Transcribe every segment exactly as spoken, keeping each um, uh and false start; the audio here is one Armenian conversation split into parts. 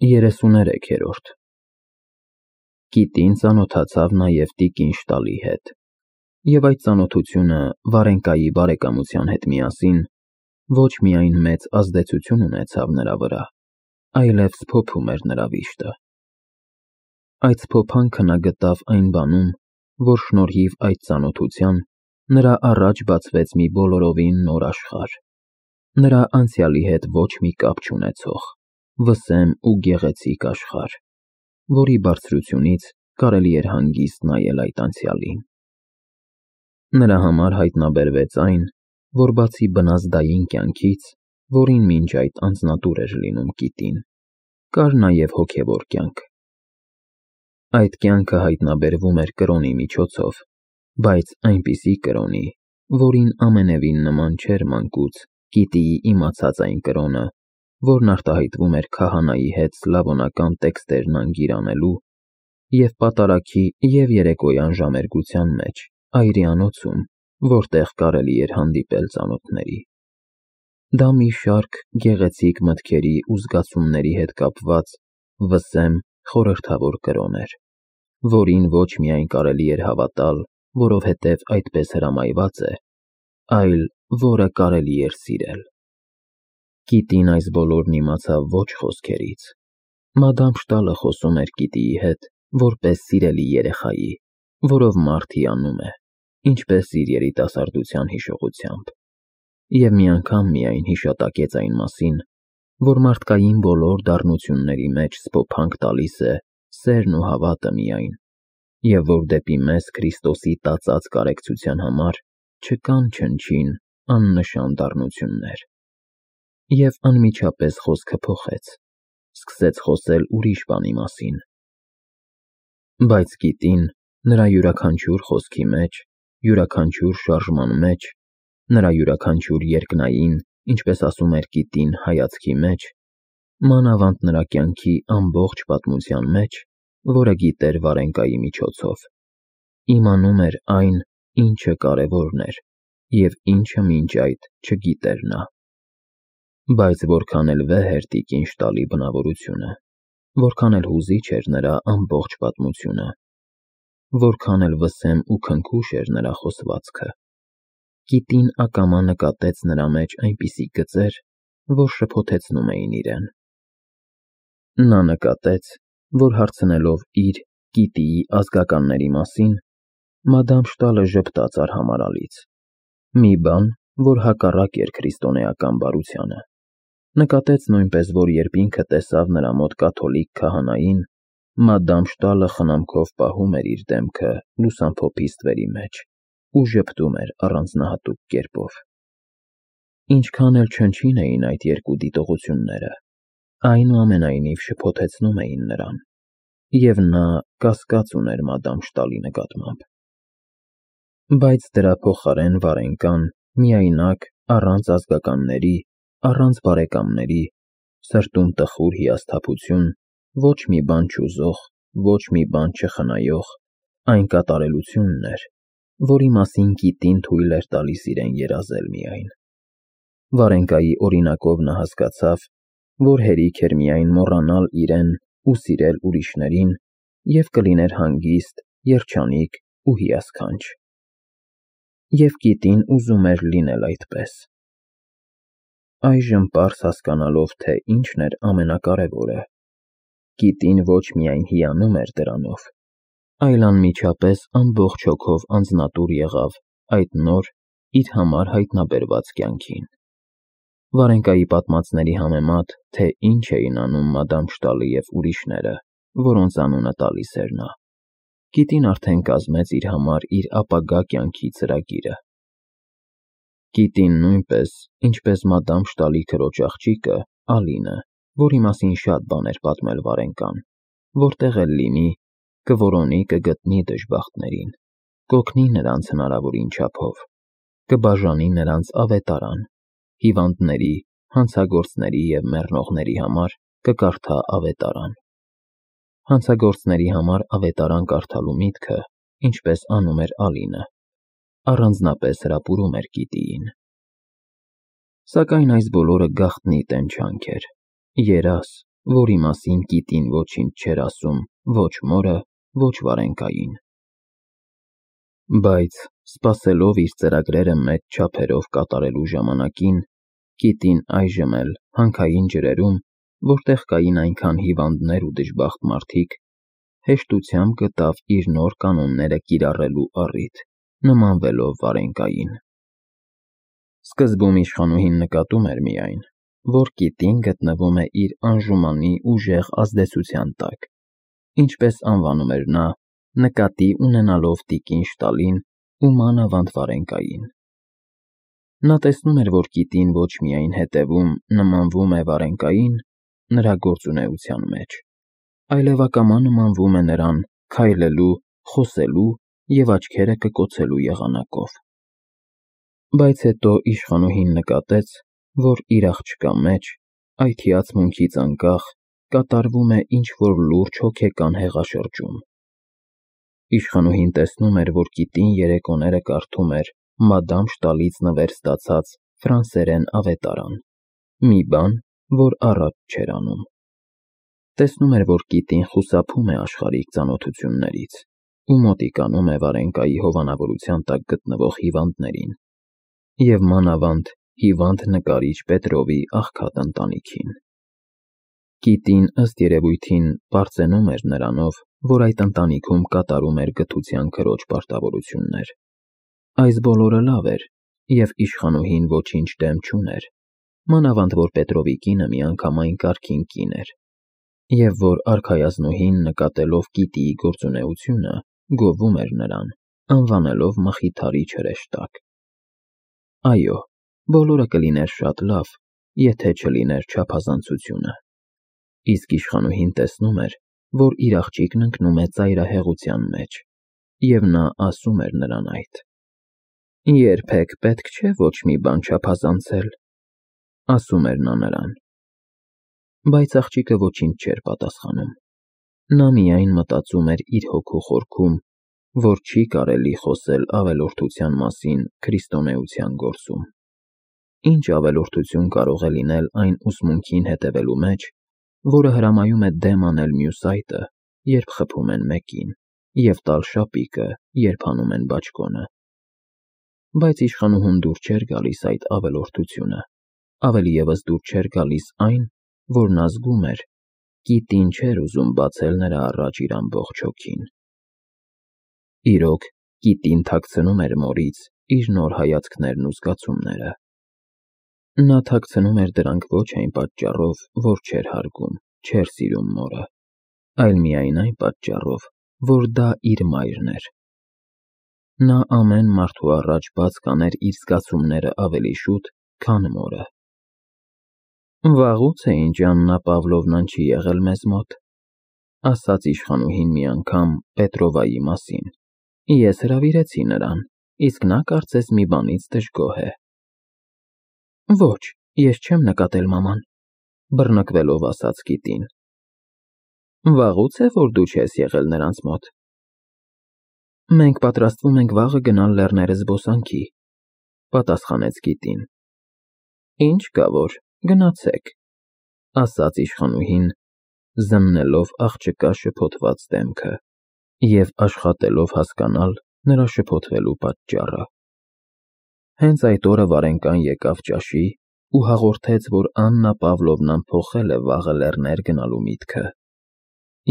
երեսուներեքերորդ Կիտին ծանոթացավ նաև տիկին Շտալի հետ, և այդ ծանոթությունը Վարենկայի բարեկամության հետ միասին ոչ միայն մեծ ազդեցություն ունեցավ նրա վրա, այլև սփոփում էր նրա վիշտը։ Այդ սփոփանքը նա գտավ այն բանում, որ շնորհիվ այդ ծանոթության նրա առաջ բացվեց մի բոլորովին նոր աշխարհ, նրա անցյալի հետ ոչ մի կապ չունեցող, վսեմ ու գեղեցիկ աշխարհ, որի բարձրությունից կարելի էր հանգիստ նայել այդ անցյալին։ Նրա համար հայտնաբերվեց այն, որ բացի բնազդային կյանքից, որին մինչ այդ անձնատուր էր լինում Կիտին, կար նաև հոգևոր կյանք։ Այդ կյանքը հայտնաբերվում էր կրոնի միջոցով, բայց այնպիսի կրոնի, որին ամենևին նման չէր մանկուց Կիտիի իմացած այն կրոնը, որն արտահայտվում էր քահանայի հետ սլավոնական տեքստերն անգիր անելու և պատարագի և երեկոյան ժամերգության մեջ այրիանոցում, որտեղ կարելի էր հանդիպել ծանոթների։ Դա մի շարք գեղեցիկ մտքերի ու զգացումների հետ կապված վսեմ խորհրդավոր կրոն էր, որին ոչ միայն կարելի էր հավատալ, որովհետև այդպես հրամայված է, այլ որը կարելի էր սիրել։ Կիտին այս բոլորն իմացավ ոչ խոսքերից։ Մադամ Շտալը խոսում էր Կիտիի հետ որպես սիրելի երեխայի, որով մարդ հիանում է, ինչպես իր երիտասարդության հիշողությամբ, և մի անգամ միայն հիշատակեց այն մասին, որ մարդկային բոլոր դառնությունների մեջ սփոփանք տալիս է սերն ու հավատը միայն, և որ դեպի մեզ Քրիստոսի տածած կարեկցության համար չկան չնչին աննշան դառնություններ։ Եվ անմիջապես խոսքը փոխեց, սկսեց խոսել ուրիշ բանի մասին։ Բայց Կիտին նրա յուրաքանչյուր խոսքի մեջ, յուրաքանչյուր շարժման մեջ, նրա յուրաքանչյուր երկնային, ինչպես ասում էր Կիտին, հայացքի մեջ, մանավանդ նրա կյանքի ամբողջ պատմության մեջ, որը գիտեր Վարենկայի միջոցով, իմանում էր այն, ինչը կարևորն էր, և ինչը մինչ այդ չգիտեր նա։ Բայց որքան էլ վեհ էր տիկին Շտալի բնավորությունը, որքան էլ հուզիչ էր նրա ամբողջ պատմությունը, որքան էլ վսեմ ու քնքուշ էր նրա խոսվածքը, Կիտին ակամա նկատեց նրա մեջ այնպիսի գծեր, որ շփոթեցնում էին իրեն։ Նա նկատեց, որ հարցնելով իր՝ Կիտիի ազգականների մասին, Մադամ Շտալը ժպտաց արհամարհալից, մի բան, որ հակառակ էր քրիստոնեական բարությանը։ Նկատեց նույնպես, որ երբ ինքը տեսավ նրա մոտ կաթոլիկ քահանային, Մադամ Շտալը խնամքով պահում էր իր դեմքը լուսամփոփի ստվերի մեջ ու ժպտում էր առանձնահատուկ կերպով։ Ինչքան էլ չնչին էին այդ երկու դիտողությունները, այնուամենայնիվ շփոթեցնում էին նրան, և նա կասկած ուներ Մադամ Շտալի նկատմամբ։ Բայց դրա փոխարեն Վարենկան միայնակ, առանց ազգականների, առանց բարեկամների, սրտում տխուր հիասթափություն, ոչ մի բան չուզող, ոչ մի բան չխնայող, այն կատարելությունն էր, որի մասին Կիտին թույլ էր տալիս իրեն երազել միայն։ Վարենկայի օրինակով նա հասկացավ, որ հերիք էր միայն մոռանալ իրեն ու սիրել ուրիշներին, և կլիներ հանգիստ, երջանիկ ու հիասքանչ։ Եվ Կիտին ուզում էր լինել այդպես։ Այժմ պարզ հասկանալով, թե ինչն էր ամենակարևորը, Կիտին ոչ միայն հիանում էր դրանով, այլ անմիջապես ամբողջ հոգով անձնատուր եղավ այդ նոր, իր համար հայտնաբերված կյանքին։ Վարենկայի պատմածների համեմատ, թե ինչ էին անում Մադամ Շտալը և ուրիշները, որոնց անունը տալիս էր նա, Կիտին արդեն կազմեց իր համար իր ապագա կյանքի ծրագիրը։ Կիտին նույնպես, ինչպես Մադամ Շտալի քրոջ աղջիկը՝ Ալինը, որի մասին շատ բան էր պատմել Վարենկան, որտեղ էլ լինի, կորոնի կգտնի դժբախտներին, կօգնի նրանց հնարավորին չափով, կբաժանի նրանց ավետարան, հիվանդների, հանցագործների և մեռնողների համար կկարդա ավետարան։ Հանցագործների համար ավետարան կարդալու միտքը, ինչպես անում էր Ալինը, առանձնապես հրապուրում էր Կիտիին։ Սակայն այս բոլորը գաղտնի տենչանք էր, երազ, որի մասին Կիտին ոչինչ չէր ասում ոչ մորը, ոչ Վարենկային։ Բայց, սպասելով իր ծրագրերը մեծ չափերով կատարելու ժամանակին, Կիտին այժմ էլ հանքային ջրերում, որտեղ կային այնքան հիվանդներ ու դժբախտ մարդիկ, հեշտությամբ գտավ իր նոր կանոնները կիրառելու առիթ, նմանվելով Վարենկային։ Սկզբում իշխանուհին նկատում էր միայն, որ Կիտին գտնվում է իր անժումանի ուժեղ ազդեցության տակ, ինչպես անվանում էր նա, նկատի ունենալով տիկին Շտալին ու մանավանդ Վարենկային։ Նա տեսնում էր, որ Կիտին ոչ միայն հետևում, նմանվում է Վարենկային նրա գործունեության մեջ, այլև ակամա նմանվում է նրան քայլելու, խոսելու և աչքերը կկոցելու եղանակով։ Բայց հետո իշխանուհին նկատեց, որ իր աղջկա մեջ, այդ հիացմունքից անկախ, կատարվում է ինչ-որ լուրջ հոգեկան հեղաշրջում։ Իշխանուհին տեսնում էր, որ Կիտին երեկոները կարդում էր մադամ Շտալից նվեր ստացած ֆրանսերեն ավետարան, մի բան, որ առաջ չէր անում։ Տեսնում էր, որ Կիտին խուսափում է աշխարհիկ ծանոթություններից ու մոտիկանում է Վարենկայի հովանավորության տակ գտնվող հիվանդներին և մանավանդ հիվանդ նկարիչ Պետրովի աղքատ ընտանիքին։ Կիտին, ըստ երևույթին, պարծենում էր նրանով, որ այդ ընտանիքում կատարում էր գթության քրոջ պարտավորություններ։ Այս բոլորը լավ էր, և իշխանուհին ոչինչ դեմ չուներ, մանավանդ որ Պետրովի կինը միանգամայն կարգին կին էր, և որ արքայազնուհին, նկատելով Կիտիի գործունեությունը, գովում էր նրան, անվանելով մխիթարիչ հրեշտակ։ Այո, բոլորը կլիներ շատ լավ, եթե չլիներ չափազանցությունը։ Իսկ իշխանուհին տեսնում էր, որ իր աղջիկն ընկնում է ծայրահեղության մեջ, և նա ասում էր նրան այդ։ Երբեք պետք չէ ոչ մի բան չափազանցել, ասում էր նա նրան։ Բայց աղջիկը ոչինչ չէր պատասխանում։ Նա միայն մտածում էր իր հոգու խորքում, որ չի կարելի խոսել ավելորդության մասին քրիստոնեության գործում։ Ինչ ավելորդություն կարող է լինել այն ուսմունքին հետևելու մեջ, որը հրամայում է դեմ անել մյուս այտը, երբ խփում են մեկին, և տալ շապիկը, երբ հանում են բաճկոնը։ Բայց իշխանուհուն դուր չէր գալիս այդ ավելորդությունը, ավելի ևս դուր չէր գալիս այն, որ նա զգում էր, Կիտին չէր ուզում բացել նրա առաջ իր ամբողջ հոգին։ Իրոք, Կիտին թաքցնում էր մորից իր նոր հայացքներն ու զգացումները։ Նա թաքցնում էր դրանք ոչ այն պատճառով, որ չէր հարգում, չէր սիրում մորը, այլ միայն այն պատճառով, որ դա իր մայրն էր։ Նա ամեն մարդու առաջ բաց կաներ իր զգացումները ավելի շուտ, քան մորը։ Վաղուց է ինչ Աննա Պավլովնան չի եղել մեզ մոտ, ասաց իշխանուհին մի անգամ Պետրովայի մասին։ Ես հրավիրեցի նրան, իսկ նա կարծես մի բանից դժգոհ է։ Ոչ, ես չեմ նկատել մաման, բռնկվելով ասաց Կիտին։ Վաղուց է, որ դու չես եղել նրանց մոտ։ Մենք պատրաստվում ենք վաղը գնալ լեռները զբոսանքի, պատասխանեց Կիտին։ Ինչ կա որ, գնացեք, ասաց իշխանուհին, զննելով աղջկա շփոթված դեմքը և աշխատելով հասկանալ նրա շփոթվելու պատճառը։ Հենց այդ օրը Վարենկան եկավ ճաշի ու հաղորդեց, որ Աննա Պավլովնան փոխել է վաղը լեռներ գնալու միտքը,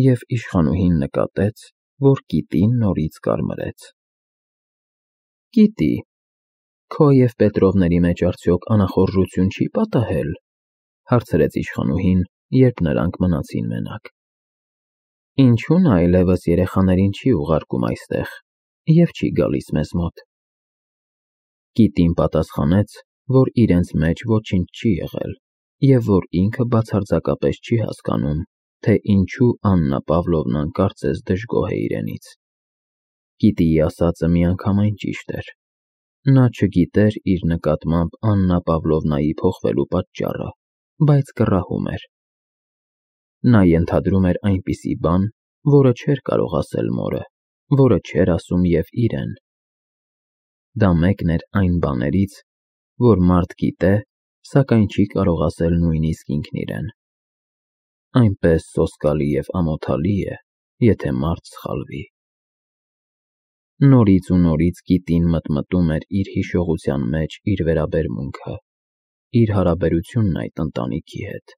և իշխանուհին նկատեց, որ Կիտին նորից կարմրեց։ Կիտի, քո և Պետրովների մեջ արդյոք անախորժություն չի պատահել, հարցրեց իշխանուհին, երբ նրանք մնացին մենակ։ Ինչու՞ նա այլևս երեխաներին չի ուղարկում այստեղ և չի գալիս մեզ մոտ։ Կիտին պատասխանեց, որ իրենց մեջ ոչինչ չի եղել, և որ ինքը բացարձակապես չի հասկանում, թե ինչու Աննա Պավլովնան կարծես դժգոհ է իրենից։ Կիտիի ասածը միանգամայն ճիշտ էր։ Նա չգիտեր իր նկատմամբ Աննա Պավլովնայի փոխվելու պատճառը, բայց կռահում էր։ Նա ենթադրում էր այնպիսի բան, որը չէր կարող ասել մորը, որը չէր ասում և իրեն։ Դա մեկն էր այն բաներից, որ մարդ գիտե, սակայն չի կարող ասել նույնիսկ ինքն իրեն։ այնպես սոսկալի և ամոթալի է, եթե մարդ սխալվի։ Նորից ու նորից Կիտին մտմտում էր իր հիշողության մեջ իր վերաբերմունքը, իր հարաբերությունն այդ ընտանիքի հետ։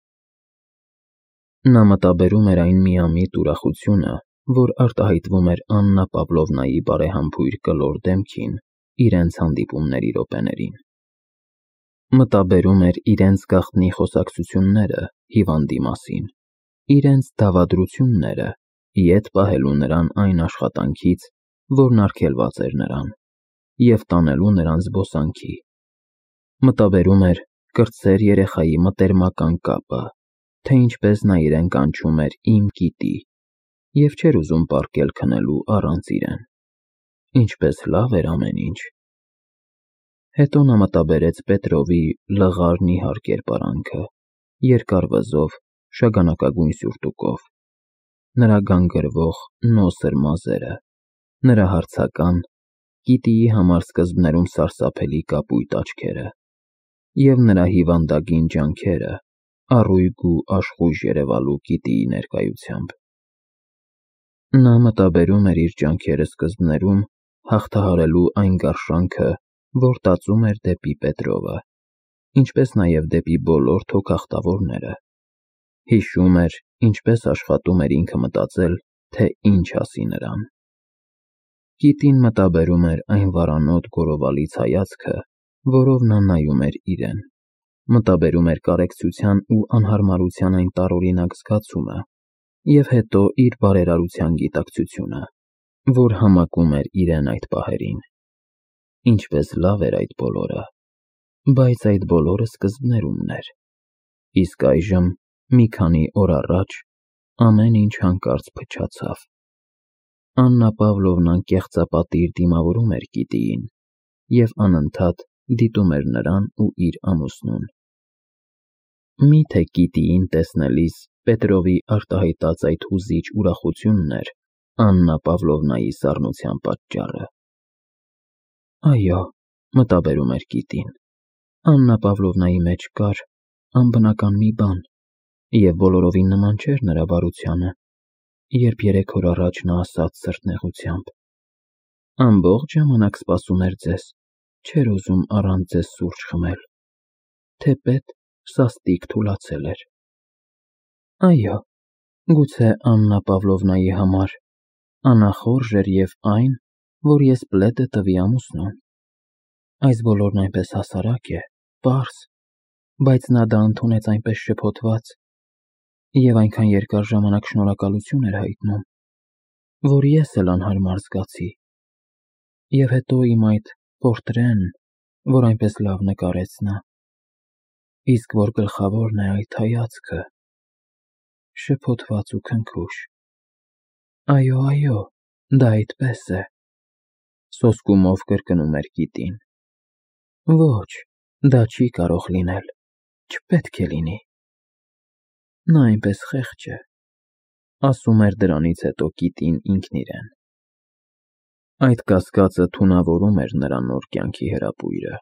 Նա մտաբերում էր այն միամիտ ուրախությունը, որ արտահայտվում էր Աննա Պավլովնայի բարեհամբույր կլոր դեմքին իրենց հանդիպումների րոպեներին։ Մտաբերում էր իրենց գաղտնի խոսակցությունները հիվանդի մասին, իրենց դավադրությունները, ետ պահելու նրան այն աշխատանքից, որն արգելված էր նրան, և տանելու նրան զբոսանքի։ Մտաբերում էր կրտսեր երեխայի մտերմական կապը, թե ինչպես նա իրեն կանչում էր «իմ Կիտի» և չէր ուզում պառկել քնելու առանց իրեն։ Ինչպես լավ էր ամեն ինչ։ Հետո նա մտաբերեց Պետրովի լղար նիհար կերպարանքը, երկար վզով, շագանակագույն սյուրտուկով, նրա գանգրվող նոսր մազերը, նրա հարցական, Կիտիի համար սկզբներում սարսափելի կապույտ աչքերը և նրա հիվանդագին ջանքերը առույգ ու աշխույժ երևալու Կիտիի ներկայությամբ։ Նա մտաբերում էր իր ջանքերը սկզբներում հաղթահարելու այն գարշանքը, որ տածում էր դեպի Պետրովը, ինչպես նաև դեպի բոլոր թոքախտավորները։ Հիշում էր, ինչպես աշխատում էր ինքը մտածել, թե ինչ ասի նրան։ Կիտին մտաբերում էր այն վարանոտ գորովալից հայացքը, որով նա նայում էր իրեն, մտաբերում էր կարեկցության ու անհարմարության այն տարօրինակ զգացումը, և հետո իր բարերարության գիտակցությունը, որ համակում էր իրեն այդ պահերին։ Ինչպես լավ էր այդ բոլորը, բայց այդ բոլորը սկզբներումն էր, իսկ այժմ, մի քանի օր առաջ, ամեն ինչ հանկարծ փչացավ։ Աննա Պավլովնան կեղծապատիժ դիմավորում էր Կիտիին և անընդհատ դիտում էր նրան ու իր ամուսնուն։ Մի՞թե Կիտիին տեսնելիս Պետրովի արտահայտած այդ հուզիչ ուրախությունն էր Աննա Պավլովնայի սառնության պատճառը։ Այո, մտաբերում էր Կիտին, Աննա Պավլովնայի մեջ կար անբնական մի բան, և բոլորովին նման չէր նրա բարությանը, երբ երեք օր առաջ նա ասաց սրտնեղությամբ. «Ամբողջ ժամանակ սպասում էր ձեզ, չէր ուզում առանց ձեզ սուրճ խմել, թեպետ սաստիկ թուլացել էր»։ Այո, գուցե Աննա Պավլովնայի համար անախորժ էր և այն, որ ես պլետը տվի ամուսնուն։ Այս բոլորն այնպես հասարակ է, պարզ, բայց նա դա ընդունեց այնպես շփոթված և այնքան երկար ժամանակ շնորհակալություն էր հայտնում, որ ես էլ անհարմար զգացի։ Եվ հետո իմ այդ պորտրեն, որ այնպես լավ նկարեց նա, իսկ որ գլխավորն է այդ հայացքը, շփոթված ու քնքուշ։ Այո, այո, դա այդպես է, սոսկումով կրկնում էր Կիտին։ Ոչ, դա չի կարող լինել, չպետք է լինի։ Նա այնպես խեղճ է, ասում էր դրանից հետո Կիտին ինքն իրեն։ Այդ կասկածը թունավորում էր նրա նոր կյանքի հրապույրը։